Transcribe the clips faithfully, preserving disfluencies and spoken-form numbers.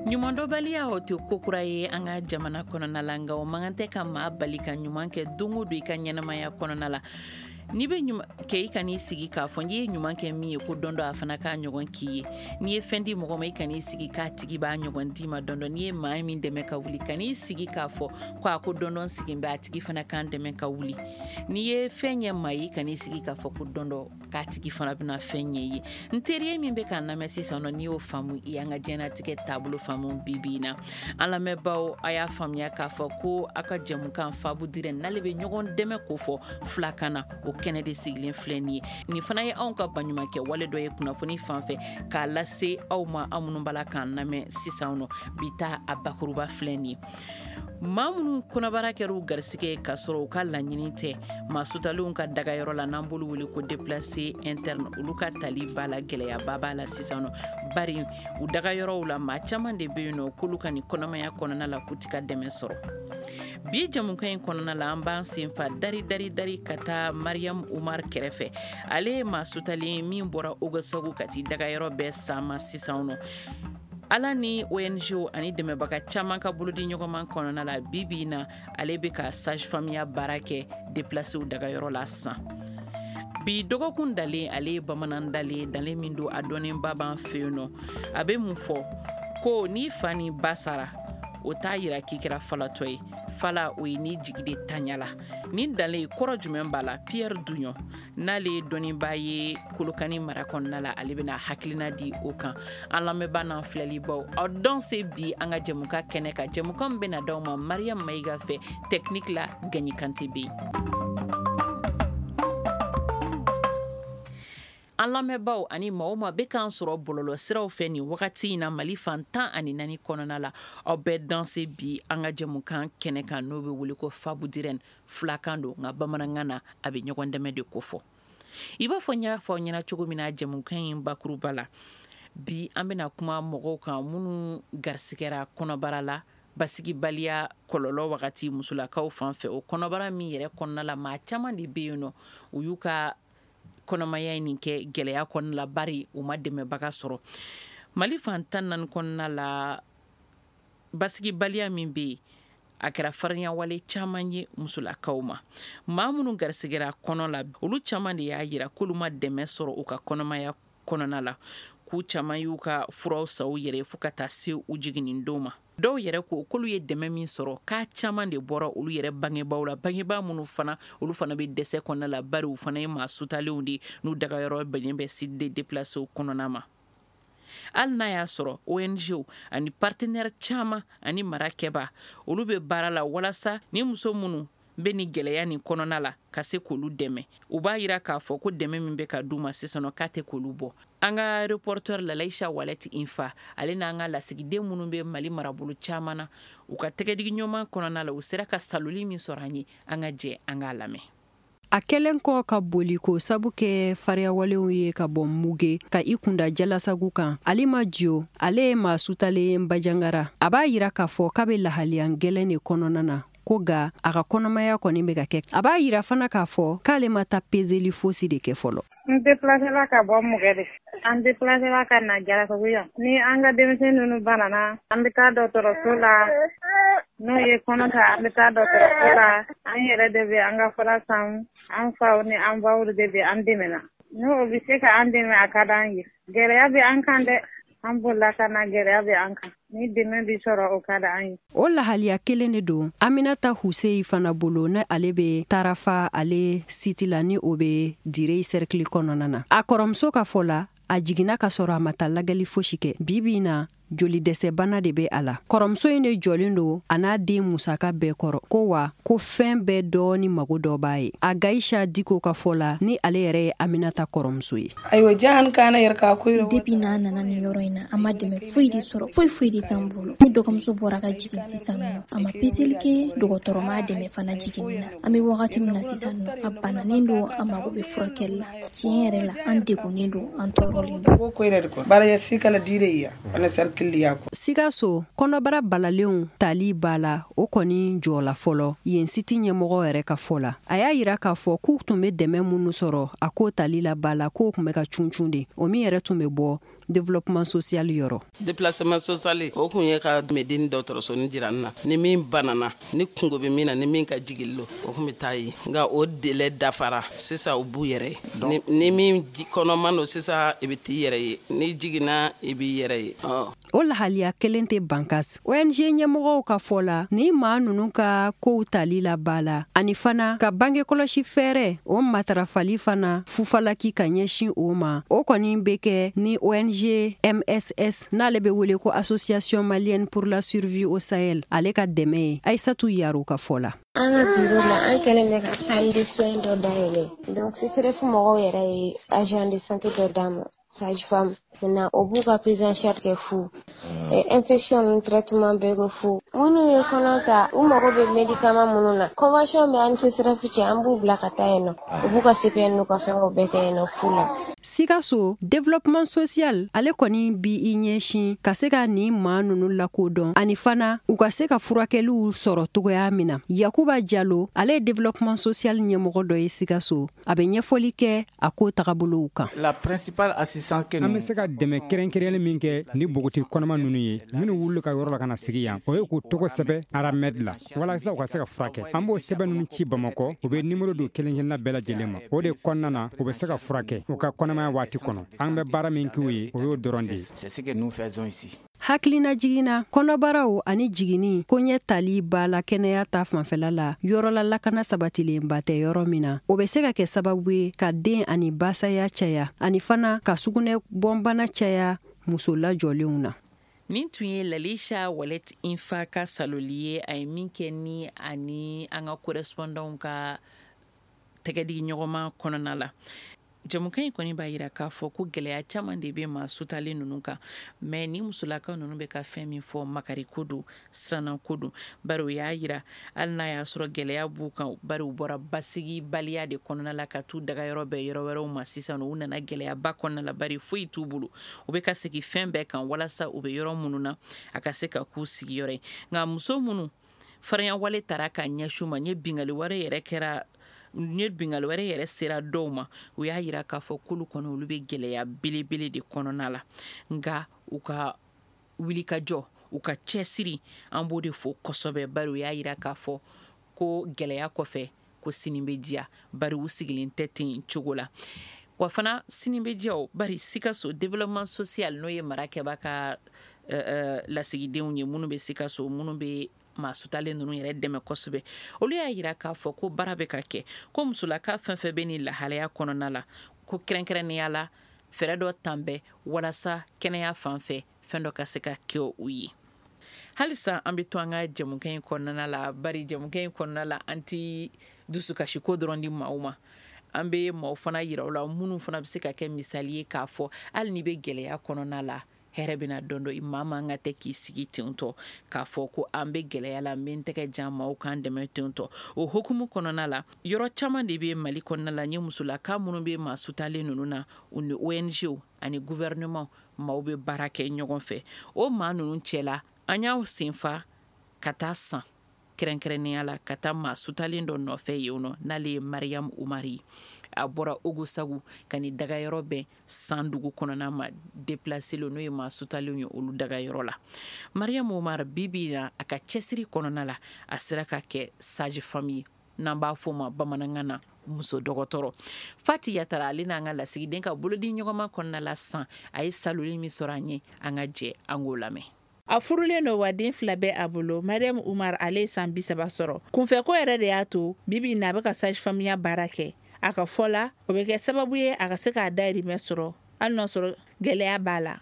Ɲumandɔnbaliya o tɛ ko kura ye an ka jamana kɔnɔna la, nka o man kan tɛ ka maa bali ka ɲuman kɛ don o don i ka ɲɛnamaya kɔnɔna la. N'i bɛ ɲuman kɛ, i kan'i sigi k'a fɔ n'i ye ɲuman kɛ min ye ko don dɔ a fana k'a ɲɔgɔn k'i ye. N'i ye fɛn di mɔgɔ ma, i kan'i sigi k'a tigi b'a ɲɔgɔn d'i ma don dɔ. N'i ye maa min dɛmɛ ka wuli, kan'i sigi k'a fɔ ko a ko don dɔ sigi bɛ a tigi fana k'an dɛmɛ ka wuli. N'i ye fɛn ɲɛ maa ye, kan'i sigi k'a fɔ ko don dɔ k'a tigi fana bɛna fɛn ɲɛ ye. N teri min bɛ k'an lamɛn sisan nɔ, n'i y'o faamu, i y'an ka diɲɛlatigɛ taabolo faamu bi bi in na. An lamɛnbaaw, a y'a faamuya k'a fɔ ko aw ka jɛmukan Fabu Dirɛ n'ale bɛ ɲɔgɔn dɛmɛ ko fɔ filakan na, o kɛnɛ de sigilen filɛ nin ye. Nin fana ye anw ka baɲumankɛ wale dɔ ye kunnafoni fan fɛ k'a lase aw ma, aw minnu b'a la k'an lamɛn sisan nɔ. Bi ta a bakuruba filɛ nin ye. Maa minnu kɔnɔbara kɛra u garisɛgɛ k'a sɔrɔ u ka laɲini tɛ, maa sutalenw ka dagayɔrɔ la n'an b'olu wele ko déplacé interne, olu ka tali b'a la, gɛlɛyaba b'a la sisan nɔ. Bari u dagayɔrɔw la, maa caman de bɛ yen nɔ k'olu ka nin kɔnɔmaya kɔnɔna la k'u ti ka dɛmɛ sɔrɔ. Bi jɛmukan in kɔnɔna la, an b'an sen fa dari dari dari ka taa Mariam Umar kɛrɛfɛ. Ale ye maa sutalen min bɔra Ogosagu ka t'i dagayɔrɔ bɛɛ sama sisan nɔ. Ala ni O N G ani dɛmɛbaga caman ka bolodi ɲɔgɔnman kɔnɔna la, bi bi in na ale bɛ ka sage-femme baara kɛ déplacéw dagayɔrɔ la sisan. Bi dɔgɔkun dalen, ale ye bamanan dalen, dalen min don a dɔnnenba b'an fɛ yen nɔ. A bɛ mun fɔ? Ko n'i fa ni ba sara, o t'a yira k'i kɛra falatɔ ye. Fala o ye n'i jigi de tanya la. Nin dalen kɔrɔ jumɛn b'a la? Pierre Dugnon n'ale ye dɔnnibaa ye Kolokani mara kɔnɔna la, ale bɛna hakilina di o kan. An lamɛnbaa n'an filɛlibaw, aw dɔn se bi an ka jɛmukan kɛnɛ kan. Jɛmukan min bɛna d'aw ma Mariam Mayiga fɛ, technique la Gagny Kante bɛ yen. An lamɛnbaaw ani maa o maa bɛ k'an sɔrɔ bɔlɔlɔ siraw fɛ nin wagati in na Mali fan tan ani naani kɔnɔna la, aw bɛɛ danse bi an ka jɛmukan kɛnɛ kan n'o bɛ wele ko Fabu Dirɛn. Filakan don, nka bamanankan na a bɛ ɲɔgɔn dɛmɛ de kofɔ. I b'a fɔ n y'a fɔ aw ɲɛna cogo min na jɛmukan in bakuruba la, bi an bɛna kuma mɔgɔw kan minnu garisigɛra kɔnɔbara la basigibaliya kɔlɔlɔ wagati musolakaw fan fɛ. O kɔnɔbara min yɛrɛ kɔnɔna la, maa caman de bɛ yen nɔ, u y'u ka kɔnɔmaya in nin kɛ gɛlɛya kɔnɔna la, bari u ma dɛmɛbaga sɔrɔ. Mali fan tan naani kɔnɔna la, basigibaliya min bɛ yen, a kɛra farinyawale caman ye musolakaw ma. Maa minnu garisigɛra kɔnɔ la, olu caman de y'a yira k'olu ma dɛmɛ sɔrɔ u ka kɔnɔmaya kɔnɔna la, k'u caman y'u ka furaw san u yɛrɛ ye fo ka taa se u jiginni don ma. Dɔw yɛrɛ ko k'olu ye dɛmɛ min sɔrɔ, k'a caman de bɔra olu yɛrɛ bangebaaw la, bangebaa minnu fana olu fana bɛ dɛsɛ kɔnɔna la, bari u fana ye maa sutalenw de ye n'u dagayɔrɔ bɛnnen bɛ site de déplacéw kɔnɔna ma. Hali n'a y'a sɔrɔ O N G ani partenaire caman ani mara kɛba, olu bɛ baara la walasa ni muso minnu bɛ ni gɛlɛya nin kɔnɔna la ka se k'olu dɛmɛ. U b'a yira k'a fɔ ko dɛmɛ min bɛ ka d'u ma sisan nɔ, k'a tɛ k'olu bɔ. An ka reporter Lalaïcha Wallet Infa, ale n'an ka lasigiden minnu bɛ Mali marabolo caman na, u ka tɛgɛdigiɲɔgɔnma kɔnɔna la, u sera ka saloli min sɔrɔ an ye, an ka jɛ an k'a lamɛn. A kɛlen kɔ ka boli k'o sabu kɛ fariyawalew ye ka bɔ Muge ka i kunda Jalasagu kan, Alima Dio, ale ye maa sutalen Bajangara. A b'a yira k'a fɔ k'a bɛ lahaliya gɛlɛn de kɔnɔna na, ko ga a ka kɔnɔmaya kɔni bɛ ka kɛ. A b'a yira fana k'a fɔ k'ale ma taa peseli fosi de kɛ fɔlɔ. N déplacé ka bɔ Muge de. An déplacé ka na Jalasagu yan. Ni an ka denmisɛn ninnu banana, an bɛ taa dɔgɔtɔrɔso la. N'o ye kɔnɔ ta, an bɛ taa dɔgɔtɔrɔso la. An yɛrɛ de bɛ an ka fura san, an faw ni an baw de bɛ an dɛmɛ na. N'o bɛ se ka an dɛmɛ, a ka d'an ye. Gɛlɛya bɛ an kan dɛ. An bolila ka na, gɛlɛya bɛ an kan. Ni dɛmɛ bɛ sɔrɔ, o ka d'an ye. O lahaliya kelen de don Aminata Huseyi fana bolo, ne ale bɛ Tarafa ale siti la, ni o bɛ Dire cercle kɔnɔna na. A kɔrɔmuso ka fɔ la, a jiginna ka sɔrɔ a ma taa lajɛli fosi kɛ. Bi bi in na, joli dɛsɛbana de bɛ a la. Kɔrɔmuso in de jɔlen don a n'a den musaka bɛɛ kɔrɔ, ko wa ko fɛn bɛɛ dɔɔni mago dɔ b'a ye. A Gaisha Diko ka fɔ la, ni ale yɛrɛ ye Aminata kɔrɔmuso ye. Ayiwa, jahan kana yɛrɛ ka ko depuis n'a nana nin yɔrɔ in na, an ma dɛmɛ foyi de sɔrɔ, foyi foyi de t'an bolo. Ni dɔgɔmuso bɔra ka jigin sisan nɔ, a ma peseli kɛ, dɔgɔtɔrɔ m'a dɛmɛ fana jiginni na. An bɛ wagati min na sisan nɔ, a bananen don, a mago bɛ furakɛli la. Tiɲɛ yɛrɛ la, an degunnen don, an tɔɔrɔlen don. Ko yɛrɛ de ko baara ya sikala dire ya ana sarkiliya ko. Sikaso kɔnɔbara balalenw tali b'a la, o kɔni jɔla fɔlɔ yen siti ɲɛmɔgɔ yɛrɛ ka fɔ la. A y'a yira k'a fɔ k'u tun bɛ dɛmɛ minnu sɔrɔ a ko tali la ba la, k'o tun bɛ ka cuncun de, o min yɛrɛ tun bɛ bɔ développement social yɔrɔ. Déplacement social o kun ye ka Medine dɔgɔtɔrɔsonin jira n na, ni min banana, ni kungo bɛ min na, ni min ka jigin lo, o kun bɛ taa yen. Nka o délai dafara sisan, u b'u yɛrɛ ye. Ni min kɔnɔman don sisan, i bɛ t'i yɛrɛ ye, ni jiginna i b'i yɛrɛ ye. O lahaliya kelen tɛ Bankas. O N G ɲɛmɔgɔw ka fɔ la, ni maa ninnu ka kow tali la ba la, ani fana ka bange kɔlɔsi fɛɛrɛ o matarafali fana fufalaki ka ɲɛsin o ma, o kɔni bɛ kɛ ni O N G M S S, n'ale bɛ wele ko Association malienne pour la survie au Sahel, ale ka dɛmɛ ye, Aïssatou Yaro ka fɔ la. An ka bureau la, an kɛlen bɛ ka salle de soins dɔ dayɛlɛ. Donc C S R F mɔgɔw yɛrɛ ye agent de santé dɔ d'an ma, sage femme. Maintenant o b'u ka prise en charge kɛ fu, infection ninnu traitement bɛɛ kɛ fu. Minnu ye kɔnɔ ta, u mago bɛ médicament minnu na, convention bɛ an ni C S R F cɛ, an b'u bila ka taa yen nɔ, u b'u ka C P N n'u ka fɛngɛw bɛɛ kɛ yen nɔ fu la. Sikaso, développement social ale kɔni bi i ɲɛsin ka se ka nin maa nunu lakodɔn, ani fana u ka se ka furakɛliw sɔrɔ togoya min na. Yakuba Jalo, ale ye développement social ɲɛmɔgɔ dɔ ye Sikaso, a bɛ ɲɛfɔli kɛ a ko tagabolow kan. An bɛ se ka dɛmɛ kɛrɛnkɛrɛnlen min kɛ ni npogoti kɔnɔma ninnu ye, minnu wuli ka yɔrɔ la ka na sigi yan, o ye k'u tɔgɔ sɛbɛ ARAMED la walasa u ka se ka furakɛ. An b'o sɛbɛn ninnu ci Bamakɔ, u bɛ nimoro don kelen kelenna bɛɛ lajɛlen ma. O de kɔnɔna na, u bɛ se ka furakɛ u ka kɔnɔmaya waati kɔnɔ. An bɛ baara min k'u ye, o y'o dɔrɔn de ye. Hakilina jiginna, kɔnɔbaraw ani jiginni koɲɛ tali ba la kɛnɛya ta fanfɛla la, yɔrɔla lakana sabatilenba tɛ yɔrɔ min na, o bɛ se ka kɛ sababu ye ka den ani basaya caya, ani fana ka sugunɛ bɔnbana caya muso lajɔlenw na. Nin tun ye Lalisha Walet Infa ka saloli ye, a ye min kɛ ni ani an ka correspondant ka tɛgɛdi ɲɔgɔnma kɔnɔna la. Jamukan in kɔni b'a yira k'a fɔ ko gɛlɛya caman de bɛ maa sutalen ninnu kan, mais ni musolakaw ninnu bɛ ka fɛn min fɔ, makari ko don, siranna ko don, bari o y'a yira hali n'a y'a sɔrɔ gɛlɛya b'u kan, bari u bɔra basigibaliya de kɔnɔna la ka t'u dagayɔrɔ bɛɛ yɔrɔ wɛrɛw ma. Sisan u nana gɛlɛyaba kɔnɔna la, bari foyi t'u bolo. U bɛ ka segin fɛn bɛɛ kan walasa u bɛ yɔrɔ minnu na, a ka se ka k'u sigiyɔrɔ ye. Nka muso minnu farinya taara ka ɲɛsin u ma, n ye bingali wɛrɛ yɛrɛ kɛra, ni bingali wɛrɛ yɛrɛ sera dɔw ma, u y'a yira k'a fɔ k'olu kɔni, olu bɛ gɛlɛya belebele de kɔnɔna la. Nka u ka wulikajɔ, u ka cɛsiri, an b'o de fo kosɛbɛ, bari u y'a yira k'a fɔ ko gɛlɛya kɔfɛ ko sini bɛ diya, bari u sigilen tɛ ten cogo la. Wa fana sini bɛ diya o, bari Sikaso développement social, n'o ye marakɛba ka uh, lasigidenw ye minnu bɛ Sikaso, minnu bɛ maa sutalen ninnu yɛrɛ dɛmɛ kosɛbɛ, olu y'a yira k'a fɔ ko baara bɛ ka kɛ, ko musolaka fɛn fɛn bɛ nin lahalaya kɔnɔna la, ko kɛrɛnkɛrɛnnenya la fɛɛrɛ dɔ tan bɛ walasa kɛnɛya fan fɛ fɛn dɔ ka se ka kɛ u ye. Halisa an bɛ to an ka jamukan in kɔnɔna la, bari jamukan in kɔnɔna la, an ti dusukasiko dɔrɔn di maaw ma, an bɛ maaw fana yira u la minnu fana bɛ se ka kɛ misali ye k'a fɔ hali n'i bɛ gɛlɛya kɔnɔna la, hɛrɛ bɛna dɔn dɔ. Maa man ka tɛ k'i sigi ten tɔ k'a fɔ ko an bɛ gɛlɛya la, n bɛ n tɛgɛ jan maaw k'an dɛmɛ ten tɔ. O hukumu kɔnɔna la, yɔrɔ caman de bɛ Mali kɔnɔna la, n ye musolaka minnu bɛ maa sutalen ninnu na, u ni O N G ani gouvernement maaw bɛ baara kɛ ɲɔgɔn fɛ. O maa ninnu cɛla, an y'aw senfa ka taa san kɛrɛnkɛrɛnnenya la ka taa maa sutalen dɔ nɔfɛ yen nɔ, n'ale ye Mariam Umari ye. A bɔra Ogosagu ka ni dagayɔrɔ bɛn san dugu kɔnɔna ma, déplacé n'o ye maa sutalenw ye, olu dagayɔrɔ la. Mariam Umar, bi bi na, a ka cɛsiri kɔnɔna la, a sera ka kɛ sage femme ye, n'an b'a fɔ o ma bamanankan na muso dɔgɔtɔrɔ. Fati Yatara, ale n'an ka lasigiden ka bolodi ɲɔgɔnma kɔnɔna la san, a ye saloli min sɔrɔ an ye, an ka jɛ an k'o lamɛn. A furulen don wa den fila bɛ a bolo. Mariam Umar, ale ye san bi saba sɔrɔ. Kunfɛko yɛrɛ de y'a to bibi na a bɛ ka sage femme ya baara kɛ. A ka fɔ la, o bɛ kɛ sababu ye a ka se k'a dayirimɛ sɔrɔ, hali n'a sɔrɔ gɛlɛya b'a la.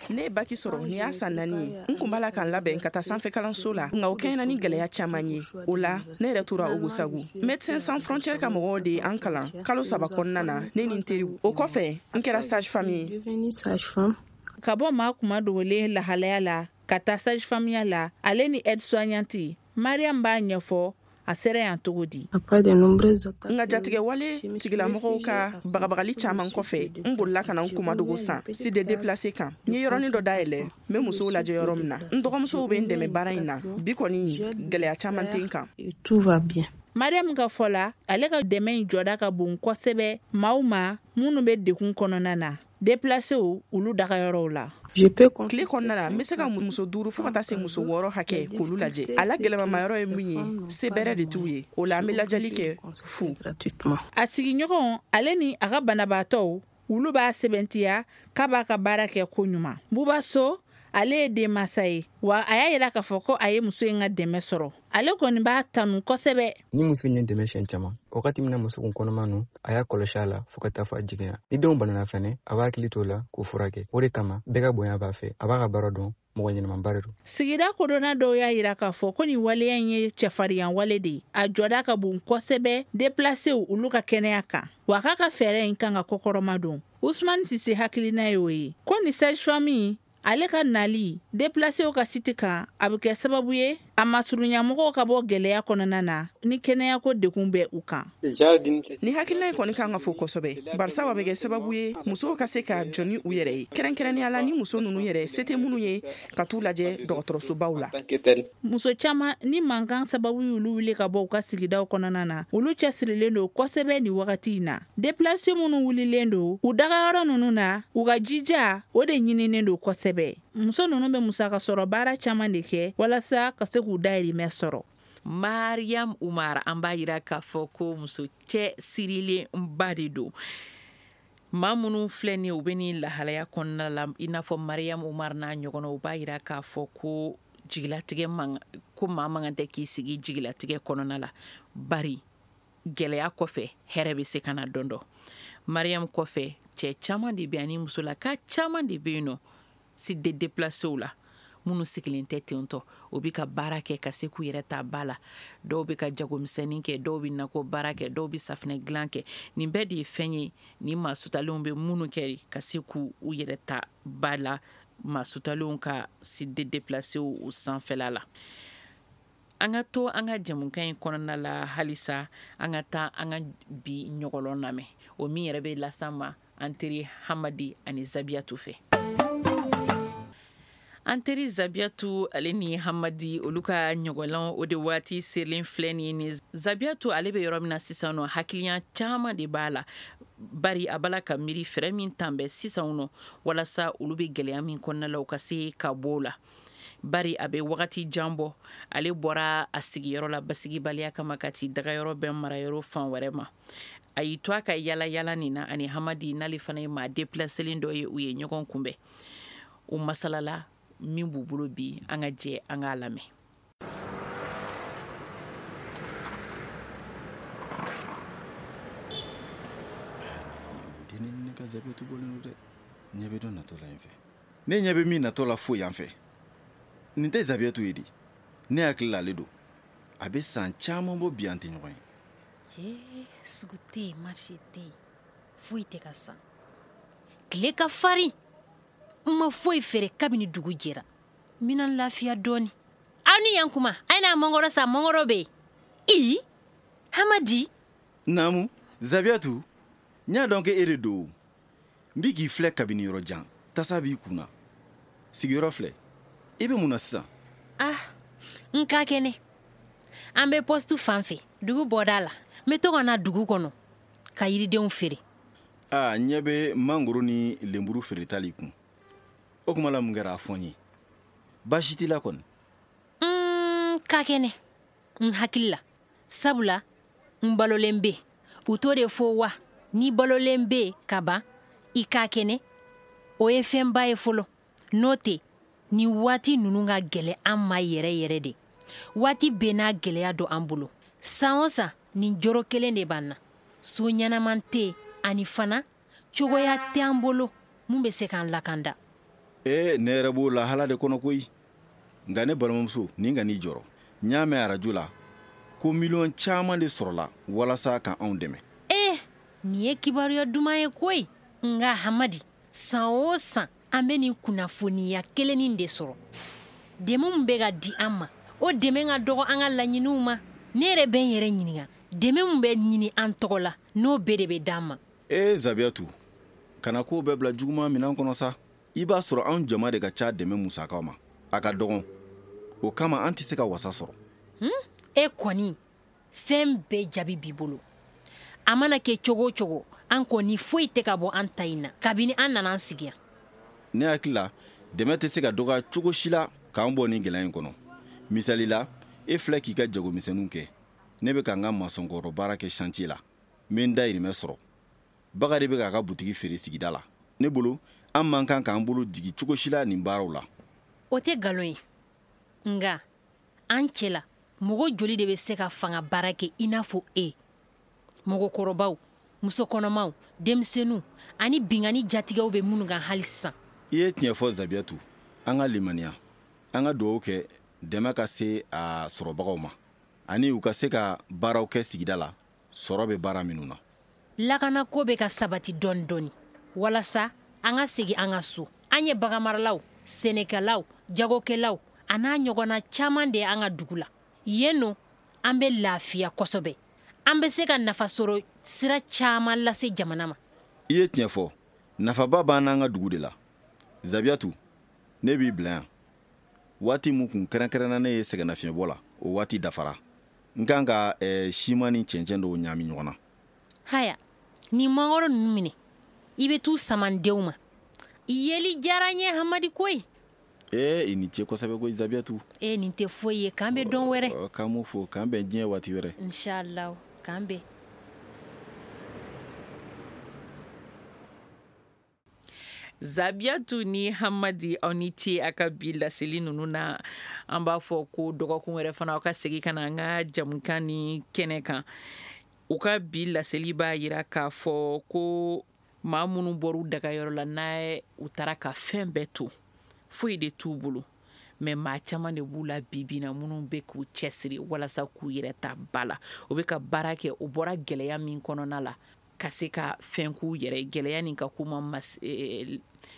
Ne ye baki sɔrɔ nin y'a san naani ye. N kun b'a la ka n labɛn ka taa sanfɛ kalanso la, nka o kɛɲɛna ni gɛlɛya caman ye. O la ne yɛrɛ tora Ogosagu. Médecins sans frontières ka mɔgɔw de ye an kalan kalo saba kɔnɔna na, ne ni n teriw. O kɔfɛ n kɛra sage femme ye. Ka bɔ maa kuma dogolen lahalaya la ka taa sage femme ya la, ale ni aide soignante, Mariam b'a ɲɛfɔ a sera yan cogo di. N ka jatigɛwale tigilamɔgɔw ka bagabagali caman kɔfɛ, n bolila ka na n kumadogo san site de déplacé kan. N ye yɔrɔnin dɔ dayɛlɛ, n bɛ musow lajɛ yɔrɔ min na. N dɔgɔmusow bɛ n dɛmɛ baara in na. Bi kɔni, gɛlɛya caman tɛ n kan. Mariam ka fɔ la, ale ka dɛmɛ in jɔda ka bon kosɛbɛ maaw ma minnu bɛ degun kɔnɔna na. déplacéw olu dagayɔrɔw la. Tile kɔnɔna la, n bɛ se ka muso duuru fo ka taa se muso wɔɔrɔ hakɛ k'olu lajɛ. A la gɛlɛmamayɔrɔ ye min ye, se bɛrɛ de t'u ye. O la an bɛ lajɛli kɛ fu. A sigiɲɔgɔn ale ni a ka banabaatɔw olu b'a sɛbɛntiya k'a b'a ka baara kɛ ko ɲuman. Buba So ale ye denmansa ye, wa a y'a yira k'a fɔ ko a ye muso in ka dɛmɛ sɔrɔ. Ale kɔni b'a tanu kosɛbɛ. Ni muso in ye dɛmɛ siɲɛ caman, wagati min na muso kun kɔnɔma nu, a y'a kɔlɔsi a la fo ka taa fɔ a jiginna. Ni denw banana fɛnɛ, a b'a hakili t'o la k'o furakɛ. O de kama bɛɛ ka bonya b'a fɛ, a b'a ka baara dɔn, mɔgɔ ɲɛnamaba de don. Sigida kodɔnna dɔw y'a yira k'a fɔ ko nin waleya in ye cɛfarinya wale de ye. A jɔda ka bon kosɛbɛ déplacéw olu ka kɛnɛya kan, wa k'a ka fɛɛrɛ in kan ka kɔkɔrɔma don. Usumani Sise hakilina y'o ye ko nin sage-femme ale ka nali déplacéw ka site kan, a bɛ kɛ sababu ye a masurunyamɔgɔw ka bɔ gɛlɛya kɔnɔna na ni kɛnɛyako degun bɛ u kan. Ni hakilina in kɔni kan ka fo kosɛbɛ, barisa a bɛ kɛ sababu ye musow ka se ka jɔ ni u yɛrɛ ye, kɛrɛnkɛrɛnnenya la ni muso ninnu yɛrɛ se tɛ minnu ye ka t'u lajɛ dɔgɔtɔrɔsobaw la. Muso caman ni mankan sababu y'olu wuli ka bɔ u ka sigidaw kɔnɔna na, olu cɛsirilen don kosɛbɛ nin wagati in na. Déplacé minnu wulilen don u dagayɔrɔ ninnu na, u ka jija o de ɲininen don kosɛbɛ. Muso ninnu bɛ musaka sɔrɔ baara caman de kɛ walasa ka se k'u dahirimɛ sɔrɔ. Mariam Umar, an b'a yira k'a fɔ ko muso cɛ sirilen ba de don. Maa minnu filɛ nin ye, u bɛ nin lahalaya kɔnɔna la, i n'a fɔ Mariam Umar n'a ɲɔgɔnna, u b'a yira k'a fɔ ko jigilatigɛ man ko maa man kan tɛ k'i sigi jigilatigɛ kɔnɔna la, bari gɛlɛya kɔfɛ hɛrɛ bɛ se ka na don dɔ. Mariam kɔfɛ cɛ caman de bɛ ani musolaka caman de bɛ yen nɔ si de déplacéw la, minnu sigilen tɛ ten tɔ, u bɛ ka baara kɛ ka se k'u yɛrɛ ta ba la. Dɔw bɛ ka jagomisɛnnin kɛ, dɔw bɛ nakɔ baara kɛ, dɔw bɛ safinɛ dilan kɛ. Nin bɛɛ de ye fɛn ye ni maa sutalenw bɛ minnu kɛ ka se k'u yɛrɛ ta ba la, maa sutalenw ka si de déplacéw u sanfɛla la. An ka to an ka jɛmukan in kɔnɔna la halisa, an ka taa an ka bi ɲɔgɔlɔn lamɛn, o min yɛrɛ bɛ las'an ma an teri Hamadi ani Zabiyatu fɛ. An teri Zabiyatu ale ni Hamadi olu ka ɲɔgɔlɔn o de waati selen filɛ nin ye. Zabiyatu ale bɛ yɔrɔ min na sisan nɔ, hakiliya caman de b'a la, bari a b'a la ka miiri fɛɛrɛ min tan bɛ sisan nɔ walasa olu bɛ gɛlɛya min kɔnɔna la u ka se ka bɔ o la. Bari a bɛ wagati jan bɔ, ale bɔra a sigiyɔrɔ la basigibaliya kama ka t'i dagayɔrɔ bɛn marayɔrɔ fan wɛrɛ ma. A y'i to a ka yala yala nin na ani Hamadi n'ale fana ye maa déplacélen dɔ ye, u ye ɲɔgɔn kunbɛn. U masalala min b'u bolo bi, an ka jɛ an k'a lamɛn. Den ne ka Zabiyatu bɔlen don dɛ. Ɲɛ bɛ dɔ natɔ la yen fɛ. Ne ɲɛ bɛ min natɔ la fo yan fɛ. Nin tɛ Zabiyatu ye di. Ne hakili la ale don. A bɛ san caman bɔ bi an tɛ ɲɔgɔn ye. Cɛ, sugu tɛ yen, marché tɛ yen, foyi tɛ ka san. Tile ka farin. N ma foyi feere kabini dugu jɛra. N bɛna n lafiya dɔɔni. Aw ni yan kuma, a ye n'a mangoro san, mangoro bɛ yen. I, Hamadi. Naamu, Zabiyatu, n y'a dɔn k'e de don. N bi k'i filɛ kabini yɔrɔ jan, tasa b'i kun na. Sigiyɔrɔ filɛ. I bɛ mun na sisan? Ah, n ka kɛnɛ. An bɛ poste fan fɛ, dugu bɔda la. N bɛ to ka na dugu kɔnɔ ka yiridenw feere. Ah, n ɲɛ bɛ mangoro ni lenburu feereta l'i kun. O kuma la mun kɛra a fɔ n ye? Baasi t'i la kɔni? N ka kɛnɛ, n hakili la. Sabula, n balolen bɛ. U t'o de fɔ wa, n'i balolen bɛ ka ban, i ka kɛnɛ, o ye fɛnba ye fɔlɔ. N'o tɛ, ni waati ninnu ka gɛlɛn an ma yɛrɛ yɛrɛ de. Waati bɛɛ n'a gɛlɛya don an bolo. San o san, nin jɔrɔ kelen de b'an na. So ɲɛnaman tɛ ani fana, cogoya tɛ an bolo mun bɛ se k'an lakanda. Ee, ne yɛrɛ b'o lahala de kɔnɔ koyi. Nka ne balimamuso, nin ka n'i jɔrɔ. N y'a mɛn arajo la ko miliyɔn caman de sɔrɔla walasa ka anw dɛmɛ. Ee, nin ye kibaruya duman ye koyi. Nka Hamadi, san o san an bɛ nin kunnafoniya kelennin de sɔrɔ. Dɛmɛ min bɛ ka di an ma, o dɛmɛ ka dɔgɔ an ka laɲiniw ma. Ne yɛrɛ bɛ n yɛrɛ ɲininka, dɛmɛ min bɛ ɲini an tɔgɔ la, n'o bɛɛ de bɛ d'an ma. Ee Zabiyatu, kana ko bɛɛ bila juguman minɛn kɔnɔ sa. I b'a sɔrɔ anw jama de ka ca dɛmɛ musakaw ma. A ka dɔgɔn. O kama an tɛ se ka wasa sɔrɔ. Hmm? E kɔni, fɛn bɛɛ jaabi b'i bolo. A mana kɛ cogo o cogo, An kɔni foyi tɛ ka bɔ an ta in na kabini an nana an sigi yan. Ne hakili la, dɛmɛ tɛ se ka dɔgɔya cogo si la k'an bɔ nin gɛlɛya in kɔnɔ. Misali la, e filɛ k'i ka jagomisɛnninw kɛ, ne bɛ ka n ka masɔnkɔrɔ baara kɛ chantier la, n bɛ n dayirimɛ sɔrɔ. Bakari bɛ k'a ka butigi feere sigida la. Ne bolo, an man kan k'an bolo jigin cogo si la nin baaraw la. O tɛ nkalon ye, nka an cɛ la mɔgɔ joli de bɛ se ka fanga baara kɛ i n'a fɔ e? Mɔgɔkɔrɔbaw, musokɔnɔmaw, denmisɛnninw ani binkanni jatigɛw bɛ minnu kan hali sisan. I ye tiɲɛ fɔ Zabiyatu, an ka limaniya, an ka dugawu kɛ dɛmɛ ka se a sɔrɔbagaw ma, ani u ka se ka baaraw kɛ sigida la, sɔrɔ bɛ baara minnu na. Lakanako bɛ ka sabati dɔɔni dɔɔni walasa an ka segin an ka so. An ye baganmaralaw, sɛnɛkɛlaw, jagokɛlaw a n'a ɲɔgɔnna caman de ye an ka dugu la. Yen nɔ, an bɛ lafiya kosɛbɛ. An bɛ se ka nafa sɔrɔ sira caman lase jamana ma. I ye tiɲɛ fɔ, nafaba b'an n'an ka dugu de la. Zabiyatu, ne b'i bila yan. Waati min kun kɛrɛnkɛrɛnna ne ye sɛgɛnnafiɲɛbɔ la, o waati dafara. N kan ka eh, siman ni cɛncɛn dɔw ɲaami ɲɔgɔn na. Haya, nin mangoro ninnu minɛ, i bɛ t'u sama n denw ma. I yeli diyara n ye Hamadi koyi. Ee, i ni ce kosɛbɛ koyi Zabiyatu. E nin tɛ foyi ye, k'an bɛ dɔn wɛrɛ. K'an m'o fo, k'an bɛn diɲɛ waati wɛrɛ. Inshallah, k'an bɛn. Zabiyatu ni Hamadi, aw ni ce a ka bi laseli ninnu na. An b'a fɔ ko dɔgɔkun wɛrɛ fana aw ka segin ka na an ka jamukan ni kɛnɛ kan. U ka bi laseli b'a yira k'a fɔ ko maa minnu bɔr'u dagayɔrɔ la n'a u taara ka fɛn bɛɛ to, foyi de t'u bolo, mɛ maa caman de b'u la bi bi na minnu bɛ k'u cɛsiri walasa k'u yɛrɛ ta ba la. U bɛ ka baara kɛ, u bɔra gɛlɛya min kɔnɔna la ka se ka fɛn k'u yɛrɛ, gɛlɛya nin ka k'u ma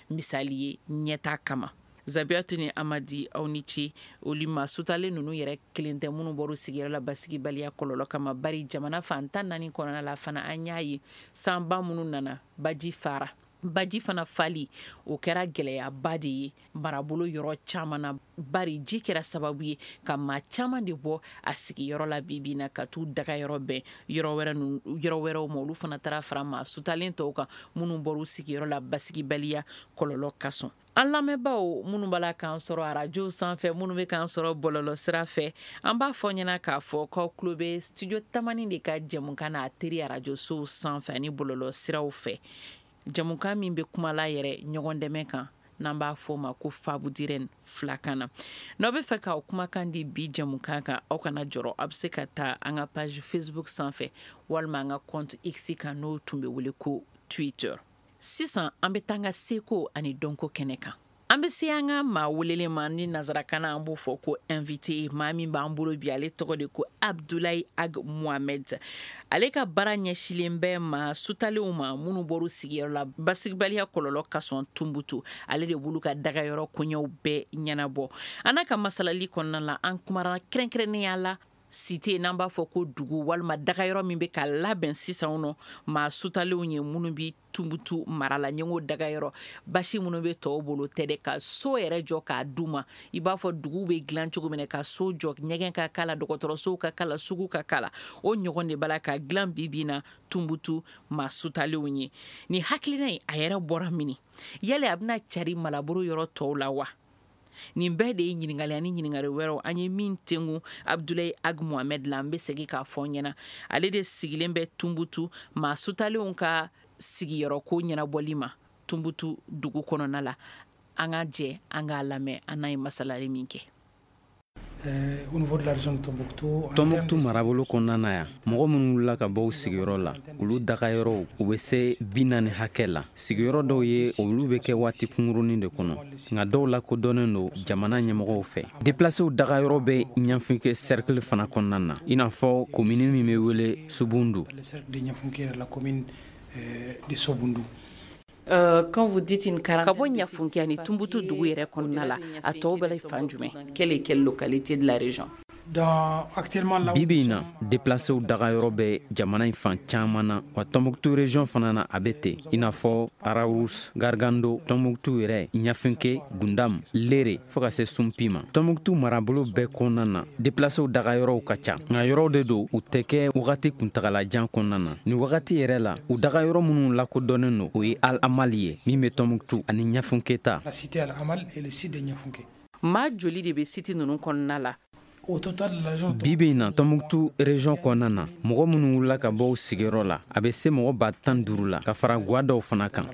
misali ye ɲɛta kama. Zabiyatu ni Amadi, aw ni ce. Olu ma sutalen ninnu yɛrɛ kelen tɛ minnu bɔr'u sigiyɔrɔ la basigibaliya kɔlɔlɔ kama, bari jamana fan tan naani kɔnɔna la fana an y'a ye sanba minnu nana, baji fara. Baji fana fali, o kɛra gɛlɛyaba de ye marabolo yɔrɔ caman na, bari ji kɛra sababu ye ka maa caman de bɔ a sigiyɔrɔ la bi bi na ka t'u dagayɔrɔ bɛn yɔrɔ wɛrɛ yɔrɔ wɛrɛw ma. Olu fana taara fara maa sutalen tɔw kan minnu bɔr'u sigiyɔrɔ la basigibaliya kɔlɔlɔ kasɔn. An lamɛnbaaw minnu b'a la k'an sɔrɔ arajo sanfɛ, minnu bɛ k'an sɔrɔ bɔlɔlɔ sira fɛ, an b'a fɔ ɲɛna k'a fɔ k'aw tulo bɛ studio Tamani de ka jɛmukan n'a teri arajosow sanfɛ ani bɔlɔlɔ siraw fɛ. Jamukan min bɛ kuma la yɛrɛ ɲɔgɔn dɛmɛ kan, n'an b'a fɔ o ma ko Fabudiren filakan na. N'aw bɛ fɛ k'aw kumakan di bi jamukan kan, aw kana jɔrɔ, aw bɛ se ka taa an ka page Facebook sanfɛ walima an ka compte X kan, n'o tun bɛ wele ko Twitter. Sisan an bɛ taa an ka seko ani dɔnko kɛnɛ kan. An bɛ se an ka maa welelen ma, ni nansarakan na an b'o fɔ ko invité. Maa min b'an bolo bi, ale tɔgɔ de ko Abdoulaye Ag Mohamed. Ale ka baara ɲɛsilen bɛ maa sutalenw ma minnu bɔr'u sigiyɔrɔ la basigibaliya kɔlɔlɔ kasɔn Tunbutu. Ale de b'olu ka dagayɔrɔ koɲɛw bɛɛ ɲɛnabɔ. An n'a ka masalali kɔnɔna la, an kumara kɛrɛnkɛrɛnnenya la cité, n'an b'a fɔ ko dugu walima dagayɔrɔ min bɛ ka labɛn sisan nɔ maa sutalenw ye minnu bi Tunbutu mara la. Ɲɛngo dagayɔrɔ basi minnu bɛ tɔw bolo tɛ dɛ, ka so yɛrɛ jɔ k'a d'u ma. I b'a fɔ dugu bɛ dilan cogo min na, ka so jɔ, ɲɛgɛn ka k'a la, dɔgɔtɔrɔsow ka k'a la, sugu ka k'a la, o ɲɔgɔn de b'a la ka dilan bi bi na Tunbutu maa sutalenw ye. Nin hakilina in, a yɛrɛ bɔra min? Yali a bɛna cari malaboro yɔrɔ tɔw la wa? Nin bɛɛ de ye ɲininkali ani ɲininkali wɛrɛw an ye min tengu Abdoulaye Ag Mohamed la. An bɛ segin k'a fɔ ɲɛna, ale de sigilen bɛ Tunbutu maa sutalenw ka sigiyɔrɔ ko ɲɛnabɔli ma Tunbutu dugu kɔnɔna la. An ka jɛ an k'a lamɛn an n'a ye masalali min kɛ. Tombouctou marabolo kɔnɔna na yan, mɔgɔ minnu wulila ka bɔ u sigiyɔrɔ la, olu dagayɔrɔw u bɛ se bi naani hakɛ la. Sigiyɔrɔ dɔw ye, olu bɛ kɛ waati kunkurunin de kɔnɔ, nka dɔw lakodɔnnen don jamana ɲɛmɔgɔw fɛ. Déplacéw dagayɔrɔ bɛ Ɲafunke cercle fana kɔnɔna na, i n'a fɔ komini min bɛ wele Subundu. Quand vous dites une quarantaine, ka bɔ Ɲafunke ani Tunbutu dugu yɛrɛ kɔnɔna la, a tɔw bɛ fan jumɛn? Quelle est quelle localité de la région? Bi bi in na, déplacéw dagayɔrɔ bɛ jamana in fan caman na, wa Tɔnbuktu région fana na a bɛ ten, i n'a fɔ Arawus, Gargando, Tɔnbuktu yɛrɛ, Ɲafinke, Gundam, Lere fo ka se Sunpi ma. Tɔnbuktu marabolo bɛɛ kɔnɔna na, déplacéw dagayɔrɔw ka ca, nka yɔrɔw de don u tɛ kɛ wagati kuntagalajan kɔnɔna na. Nin wagati yɛrɛ la, u dagayɔrɔ minnu lakodɔnnen don, o ye Al Amal ye min bɛ Tɔnbuktu ani Ɲafinke ta. Maa joli de bɛ site ninnu kɔnɔna la? Bi bi in na, Tɔnbuktu région kɔnɔna na, mɔgɔ minnu wulila ka bɔ u sigiyɔrɔ la, a bɛ se mɔgɔ ba tan duuru la, ka fara guwa dɔw fana kan. An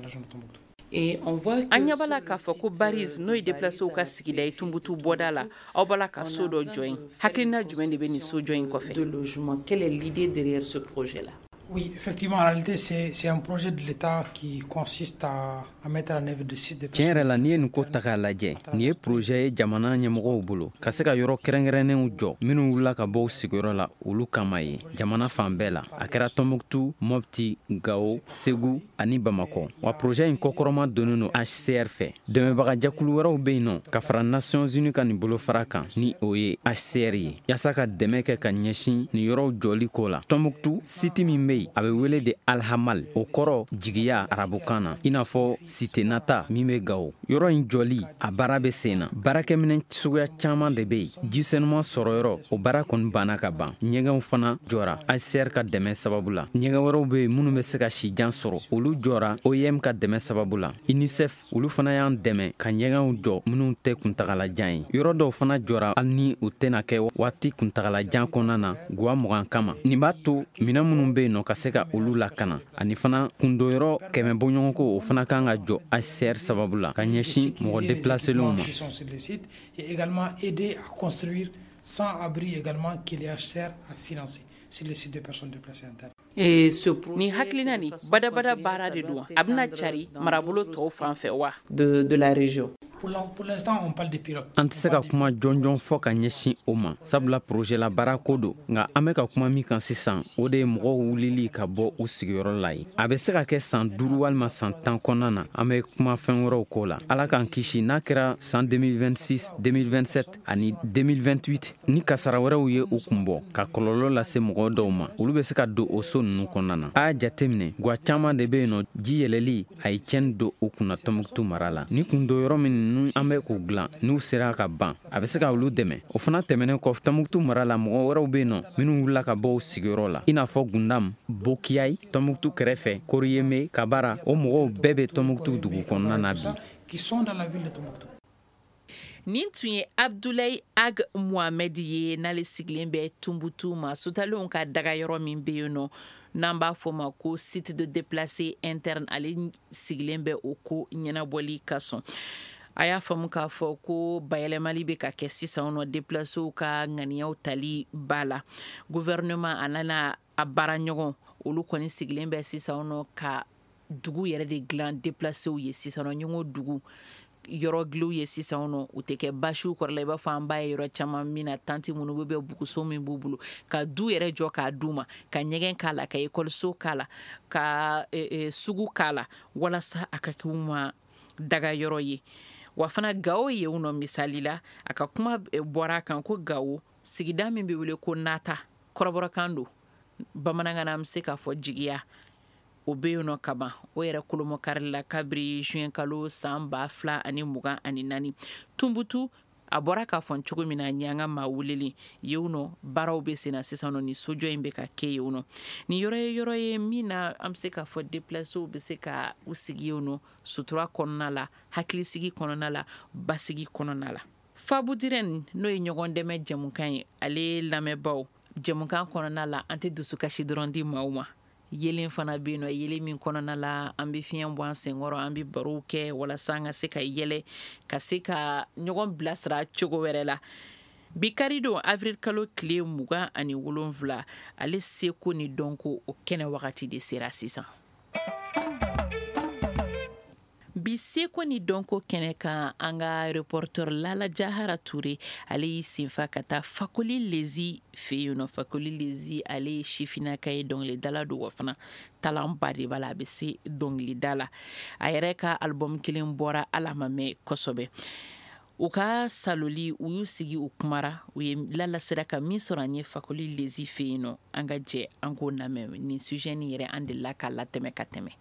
ɲɛ b'a la k'a fɔ ko Bariz, n'o ye déplacéw ka sigida ye Tunbutu bɔda la, aw b'a la ka so dɔ jɔ yen. Hakilina jumɛn de bɛ nin so jɔ in kɔfɛ? Quelle est l'idée derrière ce projet-là? Oui, effectivement, en réalité, c'est, c'est un projet de l'État qui consiste à, à mettre en œuvre des sites de Tiɲɛ yɛrɛ la, n'i ye nin ko ta k'a lajɛ, nin ye projet ye jamana ɲɛmɔgɔw bolo ka se ka yɔrɔ kɛrɛnkɛrɛnnenw jɔ minnu wulila ka bɔ u sigiyɔrɔ la olu kama ye jamana fan bɛɛ la. A kɛra Tɔnbuktu, Mɔpti, Gawo, Segu ani Bamakɔ. Wa projet in kɔkɔrɔma donnen don H C R fɛ. Dɛmɛbagajɛkulu wɛrɛw bɛ yen nɔ ka fara Nations Unies ka nin bolofara kan, ni o ye H C R ye, yaasa ka dɛmɛ kɛ ka ɲɛsin nin yɔrɔw jɔli ko la. Tɔnbuktu site min bɛ a bɛ wele de Alhamal, o kɔrɔ jigiya arabukan na, i n'a fɔ site nata min bɛ Gawo. Yɔrɔ in jɔli a baara bɛ sen na. Baarakɛminɛn suguya caman de bɛ yen. Ji senuman sɔrɔyɔrɔ, o baara kɔni banna ka ban. Ɲɛgɛnw fana jɔra H C R ka dɛmɛ sababu la. Ɲɛgɛn wɛrɛw bɛ yen minnu bɛ se ka sijan sɔrɔ, olu jɔra O I M ka dɛmɛ sababu la. UNICEF olu fana y'an dɛmɛ ka ɲɛgɛnw jɔ minnu tɛ kuntagalajan ye. Yɔrɔ dɔw fana jɔra hali ni u tɛna kɛ waati kuntagalajan kɔnɔna na, guwa mugan kama. Nin b'a to minɛn minnu bɛ yen nɔ ka se ka olu lakana, ani fana kundoyɔrɔ kɛmɛ bɔɲɔgɔnko, o fana kan ka jɔ H C R sababu la ka ɲɛsin mɔgɔ déplacelenw ma. Et également aider à construire cent abris également que l'H C R a financé sur le site des personnes déplacées internes. Nin hakilina nin badabada baara de don, a bɛna cari marabolo tɔw fan fɛ wa? De, de la région. Pour l'instant, on parle de pilotes. An tɛ se ka kuma jɔnjɔn fɔ ka ɲɛsin o ma, sabula projet la baara ko don. Nka an bɛ ka kuma min kan sisan, o de ye mɔgɔw wulili ka bɔ u sigiyɔrɔ la ye. A bɛ se ka kɛ san duuru walima san tan kɔnɔna na, an bɛ kuma fɛn wɛrɛw ko la. Ala k'an kisi, n'a kɛra san deux mille vingt-six, deux mille vingt-sept ani deux mille vingt-huit, ni kasara wɛrɛw ye u kun bɔ ka kɔlɔlɔ lase mɔgɔ dɔw ma, olu bɛ se ka don o so ninnu kɔnɔna na. A y'a jateminɛ, guwa caman de bɛ yen nɔ, ji yɛlɛli a ye tiɲɛni don u kunna Tɔnbuktu mara la. Ni kun don yɔrɔ min an bɛ k'u dilan, n'u sera ka ban, a bɛ se ka olu dɛmɛ. O fana tɛmɛnen kɔ, Tɔnbuktu mara la mɔgɔ wɛrɛw bɛ yen nɔ minnu wulila ka bɔ u sigiyɔrɔ la, i n'a fɔ Gundam, Bokiyayi, Tɔnbuktu kɛrɛfɛ, Koriyeme, Kabara. O mɔgɔw bɛɛ bɛ Tɔnbuktu dugu kɔnɔna na bi. Nin tun ye Abdoulaye Ag Mohamed ye, n'ale sigilen bɛ Tunbutu ma sutalenw ka dagayɔrɔ min bɛ yen nɔ, n'an b'a fɔ ma ko site de déplacé interne. Ale sigilen bɛ o ko ɲɛnabɔli ka sɔn. A y'a faamu k'a fɔ ko bayɛlɛmali bɛ ka kɛ sisan nɔ, déplacéw ka ŋaniyaw tali ba la. Gouvernement a nana a baara ɲɔgɔn, olu kɔni sigilen bɛ sisan nɔ ka dugu yɛrɛ de dilan déplacéw ye sisan nɔ. Ɲɔgɔn dugu yɔrɔ giliw ye sisan nɔ, u tɛ kɛ basiw kɔrɔ la i b'a fɔ an b'a ye yɔrɔ caman min na, tanti minnu bɛ bɛ buguso min b'u bolo ka du yɛrɛ jɔ k'a d'u ma, ka ɲɛgɛn k'a la, ka ekɔliso k'a la, ka sugu k'a la, walasa a ka kɛ u ma daga yɔrɔ ye. Wa fana Gawo ye nɔ misali la, a ka kuma bɔra a kan ko Gawo sigida min bɛ wele ko Nata, kɔrɔbɔrɔkan don, bamanankan na an bɛ se k'a fɔ jigiya, o bɛ yen nɔ kaban. O yɛrɛ kolomɔkari la kabiri juin kalo san ba fila ani mugan ani naani. Tunbutu a bɔra k'a fɔ cogo min na, ɲɛ an ka maa welelen yen nɔ, baaraw bɛ sen na sisan nɔ, ni sojɔ in bɛ ka kɛ yen nɔ. Nin yɔrɔ ye yɔrɔ ye min na an bɛ se k'a fɔ déplacéw bɛ se ka u sigi yen nɔ, sutura kɔnɔna la, hakilisigi kɔnɔna la, basigi kɔnɔna la. Fabudirɛn, n'o ye ɲɔgɔn dɛmɛ jɛmukan ye, ale lamɛnbaaw, jɛmukan kɔnɔna la an tɛ dusukasi dɔrɔn di maaw ma. Yelen fana bɛ yen nɔ, yelen min kɔnɔna la an bɛ fiɲɛ bɔ an senkɔrɔ, an bɛ barow kɛ walasa an ka se ka yɛlɛ, ka se ka ɲɔgɔn bilasira cogo wɛrɛ la. Bi kari don avril kalo tile mugan ani wolonwula, ale seko ni dɔnko o kɛnɛ wagati de sera sisan. Bi seko ni dɔnko kɛnɛ kan, an ka reporter Lala Jahara Toure, ale y'i senfa ka taa Fakoli Lezi fɛ yen nɔ. Fakoli Lezi, ale ye sifinnaka ye, dɔnkilidala don, wa fana talanba de b'a la, a bɛ se dɔnkilida la. A yɛrɛ ka album kelen bɔra, ala ma mɛn kosɛbɛ. U ka saloli u y'u sigi u kumara, u ye Lala sera ka min sɔrɔ an ye Fakoli Lezi fɛ yen nɔ, an ka jɛ an k'o lamɛn. Nin sujet nin yɛrɛ an delila k'a latɛmɛ ka tɛmɛ.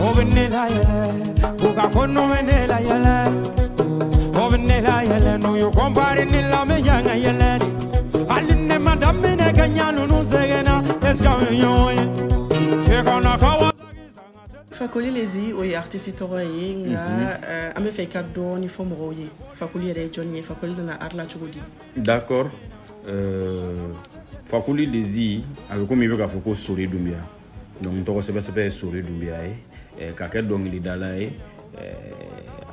O bɛ ne la yɛlɛ, u ka ko nu bɛ ne la yɛlɛ. O bɛ ne la yɛlɛ, n'u y'u kɔnpari ne la, n bɛ yan ka yɛlɛ de. Hali ne ma daminɛ ka ɲa ninnu sɛgɛnna, est-ce que anw ye ɲɔgɔn ye? Cɛkɔnɔkaw. Fakoli Lezi o ye artiste tɔgɔ ye, nka an bɛ fɛ i ka dɔɔni fɔ mɔgɔw ye. Fakoli yɛrɛ ye jɔnni ye? Fakoli nana art la cogo di? D'accord. Euh, Fakoli Lezi a bɛ komi i bɛ k'a fɔ ko Sori Dunbiya. Donc n tɔgɔ sɛbɛ sɛbɛ ye Sori Dunbiya ye, ka kɛ dɔnkilidala ye.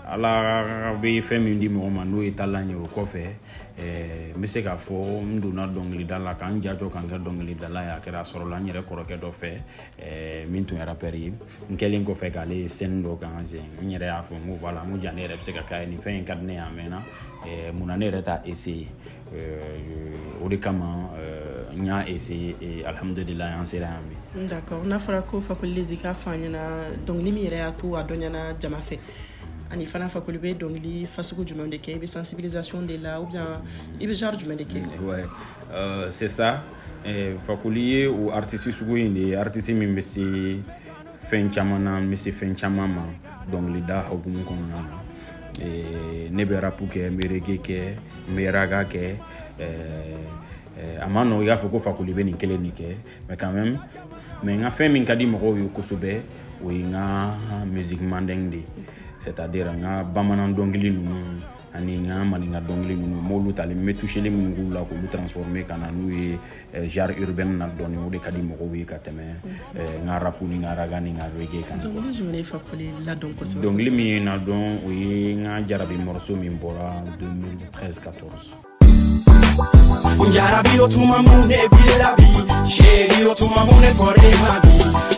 Ala bɛ fɛn min di mɔgɔ ma n'o ye talan ye, o kɔfɛ n bɛ se k'a fɔ n donna dɔnkilida la k'an ja jɔ k'an kɛ dɔnkilidala ye. A kɛra a sɔrɔla n yɛrɛ kɔrɔkɛ dɔ fɛ min tun ye rappeur ye. N kɛlen kɔfɛ k'ale ye scène dɔ kan, n yɛrɛ y'a fɔ n ko voilà, n ko ja ne yɛrɛ bɛ se ka k'a ye, nin fɛn in ka di ne ye a mɛnna, munna ne yɛrɛ t'a essayer? O de kama n y'a essayer et alhamdulilayi an sera yan bi. D'accord. N'a fɔra ko Fakoli Lezi, k'a fɔ an ɲɛna dɔnkili min yɛrɛ y'a to a dɔnɲana jama fɛ, ani fana Fakoli bɛ dɔnkili fasugu jumɛn de kɛ? I bɛ sensibilisation de la ou bien i bɛ genre jumɛn de kɛ? Ouais, euh, c'est ça. Eh, Fakoli ye o artiste sugu in de ye, artiste min bɛ se fɛn caman na, n bɛ se fɛn caman ma dɔnkilida hukumu kɔnɔna na. Eh, ne bɛ rap kɛ, n bɛ reggae kɛ, n bɛ raga kɛ. Eh, a ma nɔgɔ i k'a fɔ ko Fakoli bɛ nin kelen de kɛ, mais quand même, mais n ka fɛn min ka di mɔgɔw ye kosɛbɛ, o ye n ka musique mandeng de ye, c'est-à-dire n ka bamanan dɔnkili ninnu ani n ka maninka dɔnkili ninnu, n b'olu tali, n bɛ toucheli minnu k'u la k'olu transformer ka na n'u ye genre urbaine na dɔɔni. O de ka di mɔgɔw ye ka tɛmɛ n ka rap ni n ka raga ni n ka reggae kan. Dɔnkili jumɛn ye Fakoli ladɔn kosɛbɛ? Dɔnkili min ye n ladɔn, o ye n ka jarabi morceau min bɔra deux mille treize quatorze. Jarabi o tuma mun ne b'i la bi, chéri o tuma mun ne fɔra e ma bi,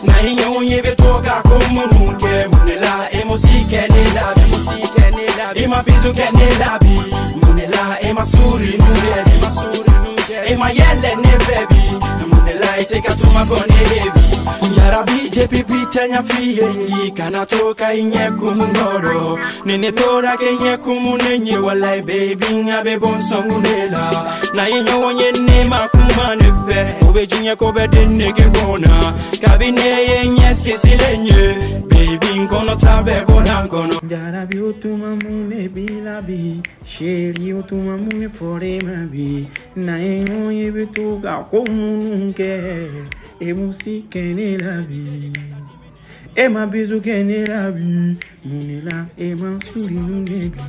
n'an ye ɲɔgɔn ye bɛ to ka ko minnu kɛ, mun de la e m'o si kɛ ne la bi, e ma bisou kɛ ne la bi, mun de la e ma souri nu kɛ bi, e ma yɛlɛ ne fɛ bi, mun de la e tɛ ka tuma fɔ ne ye bi. Jarabi depuis bi tɛ ɲa f'i ye, ngi kana to ka i ɲɛ kumu kɔrɔ, ni ne tora k'i ɲɛ kumu ne ɲɛ, walayi baby n ka bɛ bɔ n sɔnkun de la. N'an ye ɲɔgɔn ye ne ma kuma ne fɛ, o bɛ diɲɛ ko bɛɛ de nege bɔ n na, kabi ne ye ɲɛ sinsinlen ye, baby n kɔnɔ ta bɛɛ bɔra n kɔnɔ. Jarabi o tuma mun ne b'i la bi, chéri o tuma mun ne fɔra e ma bi, n'an ye ɲɔgɔn ye bɛ to ka ko minnu kɛ, e m'o si kɛ ne la bi, e ma bisou kɛ ne la bi, mun de la e ma souri nu ne bi.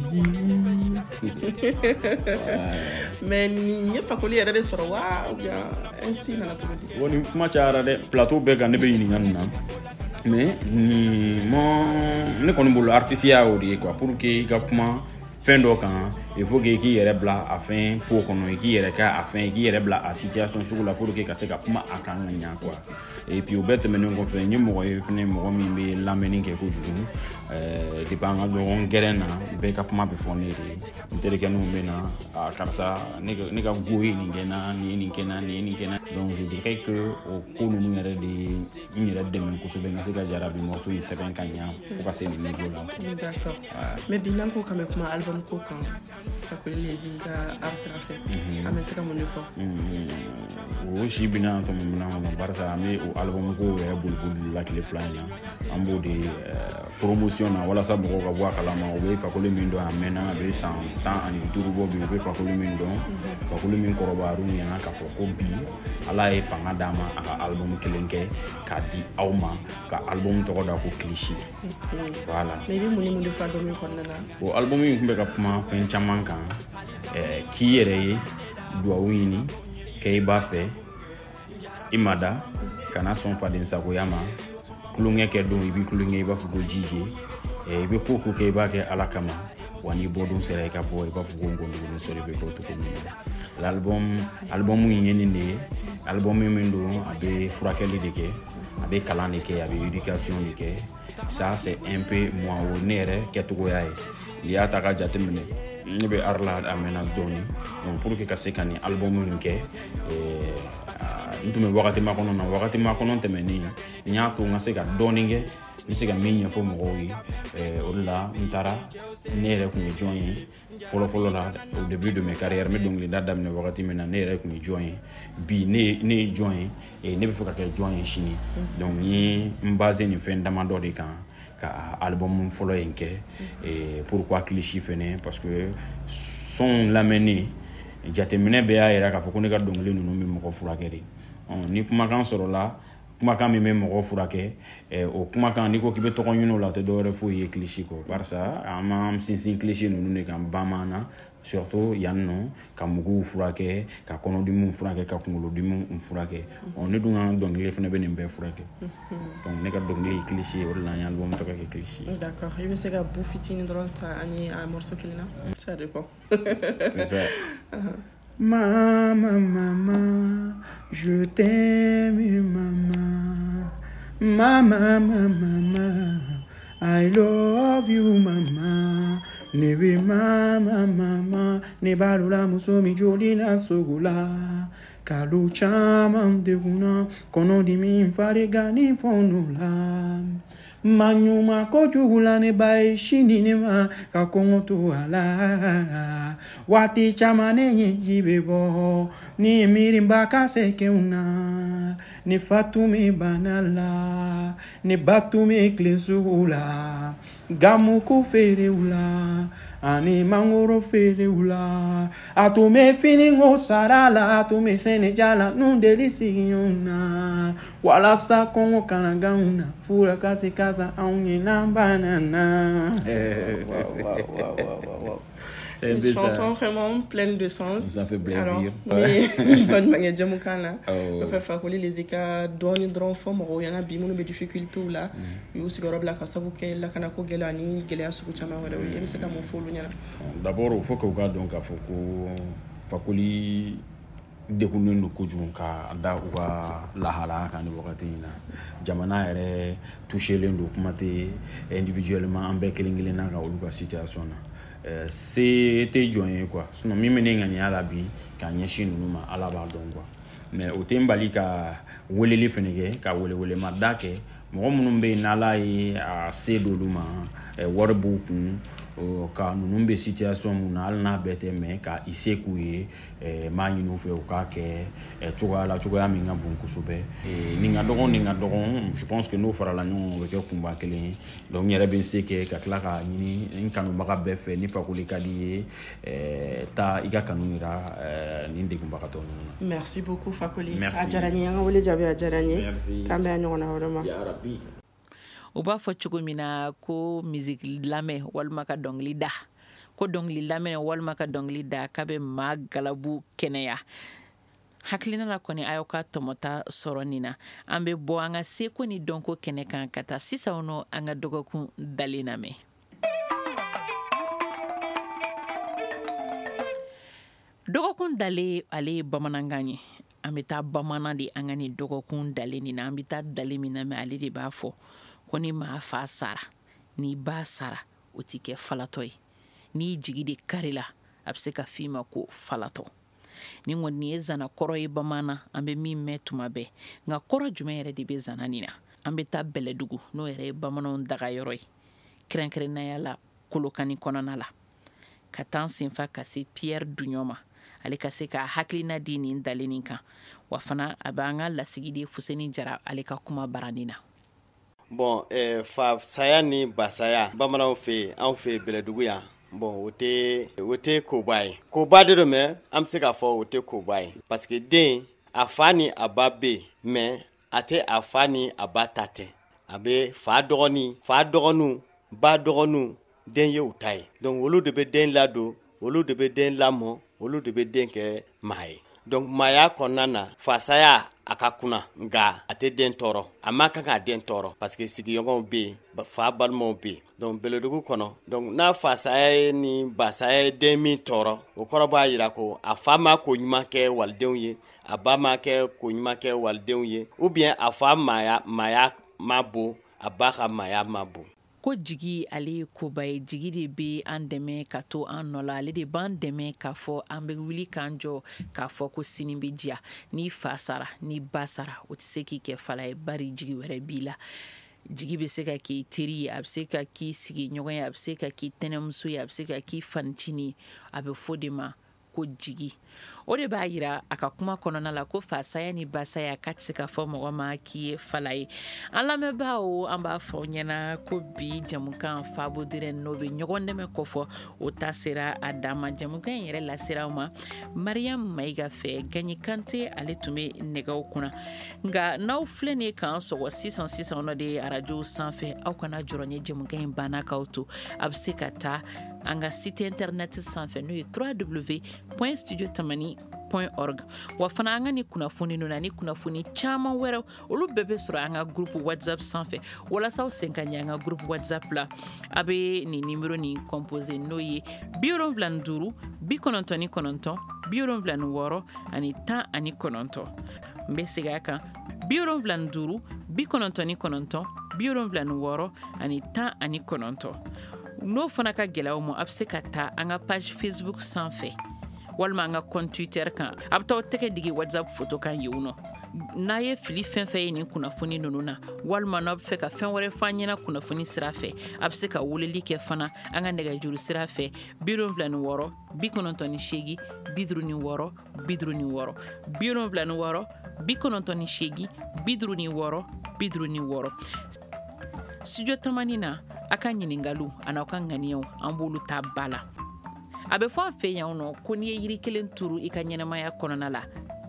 Mais nin ye Fakoli yɛrɛ de sɔrɔ wa ou bien inspire nana cogo di? Bon, nin kuma cayara dɛ, plateau bɛɛ kan ne bɛ ɲininka nin na, mais nin ma ne kɔni bolo artiste ya y'o de ye quoi. Pour que i ka kuma fɛn dɔ kan, il faut que i k'i yɛrɛ bila a fɛn po kɔnɔ, i k'i yɛrɛ kɛ a fɛn, i k'i yɛrɛ bila a situation sugu la pour que ka se ka kuma a kan ka ɲa quoi. Et puis o bɛɛ tɛmɛnen kɔfɛ, n ye mɔgɔ ye fɛnɛ, mɔgɔ min bɛ lamɛnni kɛ kojugu. ɛɛ depuis an ka ɲɔgɔn gɛrɛn na, bɛɛ ka kuma bɛ fɔ ne de ye. N terikɛninw bɛ na, a karisa, ne ka ne ka go ye nin kɛ n na, nin ye nin kɛ n na, nin ye nin kɛ n na. Donc je dirais que o ko ninnu yɛrɛ de ye n yɛrɛ dɛmɛ kosɛbɛ n ka se ka jarabi morceau in sɛbɛn ka ɲa fo ka se nin niveau la. D'accord. Mais bi n'an ko k'an bɛ kuma album ko kan, Fakoli Lezi ka art sira fɛ, an bɛ se ka mun de fɔ? O si bɛna tɔmɔ minɛn kɔnɔ, barisa an bɛ o album ko yɛrɛ boliboli la tile fila in na. An b'o de promotion na walasa mɔgɔw ka bɔ a kalama. U bɛ Fakoli min dɔn a mɛnna, a bɛ san tan ani duuru bɔ bi. U bɛ Fakoli min dɔn, Fakoli min kɔrɔbayar'u ɲɛna k'a fɔ ko bi Ala ye fanga d'a ma a ka album kelen kɛ k'a di aw ma, ka album tɔgɔ da ko Clichy. Voilà. Mais i bɛ mun ni mun de fɔ album in kɔnɔna na? O album in tun bɛ ka kuma fɛn caman kan, k'i yɛrɛ ye duwawu ɲini kɛ i b'a fɛ, i ma da kana sɔn faden sagoya ma, tulonkɛ kɛ don i b'i tulonkɛ i b'a fɔ ko jije, i bɛ ko ko kɛ i b'a kɛ Ala kama, wa n'i bɔ don sera i ka bɔ i b'a fɔ ko ngɔndugunin sɔrɔ i bɛ bɔ cogo min na. L'album album in ye nin de ye, album min don a bɛ furakɛli de kɛ, a bɛ kalan de kɛ, a bɛ éducation de kɛ. Ça c'est un peu moi, o ne yɛrɛ kɛcogoya ye. N'i y'a ta ka jateminɛ, Ne bɛ art la a mɛnna dɔɔni. Donc pour que ka se ka nin album in kɛ, n tun bɛ wagati makɔnɔ na, wagati makɔnɔ tɛmɛnen n y'a to n ka se ka dɔɔni kɛ, n bɛ se ka min ɲɛfɔ mɔgɔw ye. O de la n taara, ne yɛrɛ tun ye jɔn ye fɔlɔ-fɔlɔ la, au début de mes carrières, n bɛ dɔnkilida daminɛ wagati min na, ne yɛrɛ tun ye jɔn ye, bi ne ne ye jɔn ye, ne bɛ fɛ ka kɛ jɔn ye sini. Donc n ye n basé nin fɛn damadɔ de kan ka album fɔlɔ in kɛ. Pourquoi Clichy fɛnɛ? Parce que son lamɛnni jateminɛ bɛɛ y'a yira k'a fɔ ko ne ka dɔnkili ninnu bɛ mɔgɔ furakɛ de. Ni kumakan sɔrɔla, kumakan min bɛ mɔgɔ furakɛ, o kumakan n'i ko k'i bɛ tɔgɔ ɲini o la, o tɛ dɔwɛrɛ foyi ye Clichy kɔ, barisa an b'an sinsin Clichy ninnu de kan bamanan, surtout yan nɔ, ka muguw furakɛ, ka kɔnɔdimiw furakɛ, ka kunkolodimiw furakɛ. Ɔ ne dun ka dɔnkili fana bɛ nin bɛɛ furakɛ. Donc ne ka dɔnkili ye Clichy ye, o de la an ye album tɔgɔ kɛ Clichy. D'accord, i bɛ se ka bu fitinin dɔrɔn ta ani a morceau kelen na? Ça dépend. C'est ça. Maman, maman, je t'aime, maman. Maman, maman, maman, I love you, maman. Ne be mama, mama, ne balola muso mi joli la sogola. Kalo caman degunna, kɔnɔdimi farigan ni fɔnɔ la. Maɲuman kojugu la ne ba ye sini ne ma ka kɔngɔ to a la. Waati caman ne ɲɛji bɛ bɔ ni miiriba ka se kɛw na. Ne fa tun bɛ bana la, ne ba tun bɛ tilen sugu la, gamugu feerew la ani mangoro feerew la. A tun bɛ finiko sara la, a tun bɛ sɛnɛja la, n'u deli sigiɲɔgɔn na. Walasa kɔngɔ kana g'anw na, fura ka se ka san anw ye n'an banna na. C'est une chanson vraiment pleine de sens. Ça fait plaisir. Alors, mais bonne manière de jamukan la. O fɛ Fakoli les ka dɔɔni dɔrɔn fɔ mɔgɔw ɲɛna bi minnu bɛ difficulté la, u y'u sigiyɔrɔ bila ka sababu kɛ lakanako gɛlɛya ni gɛlɛya sugu caman wɛrɛw ye. E bɛ se ka mun fɔ olu ɲɛna? D'abord, il faut que u k'a dɔn k'a fɔ ko Fakoli degunnen don kojugu ka da u ka lahalaya kan nin wagati in na. Jamana yɛrɛ touchelen don, kuma tɛ individuellement an bɛɛ kelen kelenna ka olu ka situation na. Se tɛ jɔn ye quoi, sinon min bɛ ne ŋaniya la bi ka ɲɛsin ninnu ma, Ala b'a dɔn quoi. Mais o tɛ n bali ka weleli fɛnɛ kɛ, ka welewelemada kɛ mɔgɔ minnu bɛ yen n'Ala ye a se d'olu ma, wari b'u kun, ka ninnu bɛ situation mun na, hali n'a bɛɛ tɛ, mais ka i se k'u ye, n b'a ɲini u fɛ u k'a kɛ cogoya la, cogoya min ka bon kosɛbɛ. Nin ka dɔgɔn, nin ka dɔgɔn, je pense que n'o farala ɲɔgɔn kan, o bɛ kɛ kunba kelen ye. Donc n yɛrɛ bɛ n se kɛ ka tila k'a ɲini n kanubaga bɛɛ fɛ, ni Fakoli ka di ye, taa i ka kanu yira nin degunbagatɔ ninnu na. Merci beaucoup Fakoli. A diyara n ye, an ka wele jaabi a diyara n ye. K'an bɛn a ɲɔgɔnna wɛrɛ ma. Ya Rabbi. U b'a fɔ cogo min na ko musique lamɛn walima ka dɔnkili da, ko dɔnkili lamɛn walima ka dɔnkili da k'a bɛ maa galabu kɛnɛya. Hakilina la kɔni a y'aw ka tɔmɔta sɔrɔ nin na. An bɛ bɔ an ka seko ni dɔnko kɛnɛ kan ka taa sisan nɔ an ka dɔgɔkun dalen lamɛn. Dɔgɔkun dalen, ale ye bamanankan ye. An bɛ taa bamanan de an ka nin dɔgɔkun dalen nin na. An bɛ taa dalen min na, mais ale de b'a fɔ ko ni maa fa sara, ni ba sara, o ti kɛ falatɔ ye. N'i jigi de kari la, a bɛ se ka f'i ma ko falatɔ. Ni kɔni ye zana kɔrɔ ye bamanan, an bɛ min mɛn tuma bɛɛ. Nka kɔrɔ jumɛn yɛrɛ de bɛ zana nin na? An bɛ taa Bɛlɛdugu, n'o yɛrɛ ye bamananw dagayɔrɔ ye, kɛrɛnkɛrɛnnenya la Kolokani kɔnɔna la, ka taa n senfa ka se Pierre Duɲɔ ma, ale ka se ka hakilina di nin dalen nin kan. Wa fana a b'an ka lasigiden Fuseni Jara ale ka kuma baranin na. Bon, eh, fa saya ni basaya bamananw fɛ yen, anw fɛ yen Bɛlɛdugu yan, bon o tɛ o tɛ koba ye. Koba de don, mais an bɛ se k'a fɔ o tɛ koba ye, parce que den a fa ni a ba bɛ yen, mais a tɛ a fa ni a ba ta tɛ. A bɛ fa dɔgɔnin, fa dɔgɔninw, ba dɔgɔninw, den ye u ta ye. Donc olu de bɛ den ladon, olu de bɛ den lamɔ, olu de bɛ den kɛ maa ye. Donc maaya kɔnɔna na, fasaya a ka kunna, nka a tɛ den tɔɔrɔ, a ma kan k'a den tɔɔrɔ, parce que sigiɲɔgɔnw bɛ yen, fa balimaw bɛ yen. Donc Bɛlɛdugu kɔnɔ, donc n'a fasaya ye ni basaya ye den min tɔɔrɔ, o kɔrɔ b'a jira ko a fa ma ko ɲuman kɛ walidenw ye, a ba ma kɛ ko ɲuman kɛ walidenw ye, ou bien a fa maaya maaya ma bon, a ba ka maaya ma bon. Ko jigi ale ye koba ye, jigi de bɛ an dɛmɛ ka to an nɔ la, ale de b'an dɛmɛ k'a fɔ an bɛ wuli k'an jɔ k'a fɔ ko sini bɛ diya. N'i fa sara, n'i ba sara, o tɛ se k'i kɛ fala ye, bari jigi wɛrɛ b'i la. Jigi bɛ se ka k'i teri ye, a bɛ se ka k'i sigiɲɔgɔn ye, a bɛ se ka k'i tɛnɛmuso ye, a bɛ se ka k'i fanicinin ye. A bɛ fɔ de ma ko jigi. O de b'a yira a ka kuma kɔnɔna la ko fasaya ni basaya k'a tɛ se ka fɔ mɔgɔ ma k'i ye fala ye. An lamɛnbaaw, an b'a fɔ aw ɲɛna ko bi jamukan Fabo Dirɛ n'o bɛ ɲɔgɔn dɛmɛ kɔfɔ, o ta sera a dan ma. Jamukan in yɛrɛ lasera aw ma Mariam Mayiga fɛ, Gaɲi Kante ale tun bɛ nɛgɛw kunna. Nka n'aw filɛ nin ye k'an sɔgɔ sisan sisan nɔ de arajo sanfɛ, aw kana jɔrɔ ni jamukan in banna k'aw to. A bɛ se ka taa an ka site internet sanfɛ n'o ye w w w point studio tamani point org. Wa fana an ka ni kunnafoni ninnu ani kunnafoni caman wɛrɛw, olu bɛɛ bɛ sɔrɔ an ka groupe WhatsApp sanfɛ. Walasa aw sen ka ɲɛ an ka groupe WhatsApp la, a bɛ nin numéro nin composé n'o ye bi wolonwula ni duuru bi kɔnɔntɔn ni kɔnɔntɔn bi wolonwula ni wɔɔrɔ ani tan ani kɔnɔntɔn. N bɛ segin a kan, bi wolonwula ni duuru bi kɔnɔntɔn ni kɔnɔntɔn bi wolonwula ni wɔɔrɔ ani tan ani kɔnɔntɔn. N'o fana ka gɛlɛn aw ma, a bɛ se ka taa an ka page Facebook sanfɛ walima an ka compte Twitter kan. A bɛ taa aw tɛgɛ digi WhatsApp photo kan yen nɔ. N'a ye fili fɛn fɛn ye nin kunnafoni ninnu na, walima n'aw bɛ fɛ ka fɛn wɛrɛ f'an ɲɛna kunnafoni sira fɛ, a bɛ se ka weleli kɛ fana an ka nɛgɛjuru sira fɛ bi wolonwula ni wɔɔrɔ bi kɔnɔntɔn ni seegin bi duuru ni wɔɔrɔ bi duuru ni wɔɔrɔ bi wolonwula ni wɔɔrɔ bi kɔnɔntɔn ni seegin bi duuru ni wɔɔrɔ bi duuru ni wɔɔrɔ. Studio Tamani na, a ka ɲininkaliw an'aw ka ŋaniyaw, an b'olu ta ba la. A bɛ fɔ an fɛ yan nɔ ko n'i ye yiri kelen turu i ka ɲɛnamaya kɔnɔna la,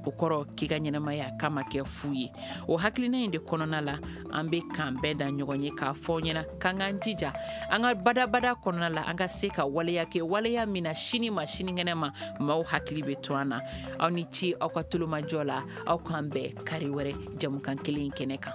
o kɔrɔ k'i ka ɲɛnamaya k'a ma kɛ fu ye. O hakilina in de kɔnɔna la, an bɛ k'an bɛɛ da ɲɔgɔn ye k'a fɔ aw ɲɛna k'an k'an jija an ka badabada kɔnɔna la, an ka se ka waleya kɛ, waleya min na sini ma sinikɛnɛ ma maaw hakili bɛ to an na. Aw ni ce aw ka tulomajɔ la, aw k'an bɛn kari wɛrɛ jamukan kelen in kɛnɛ kan.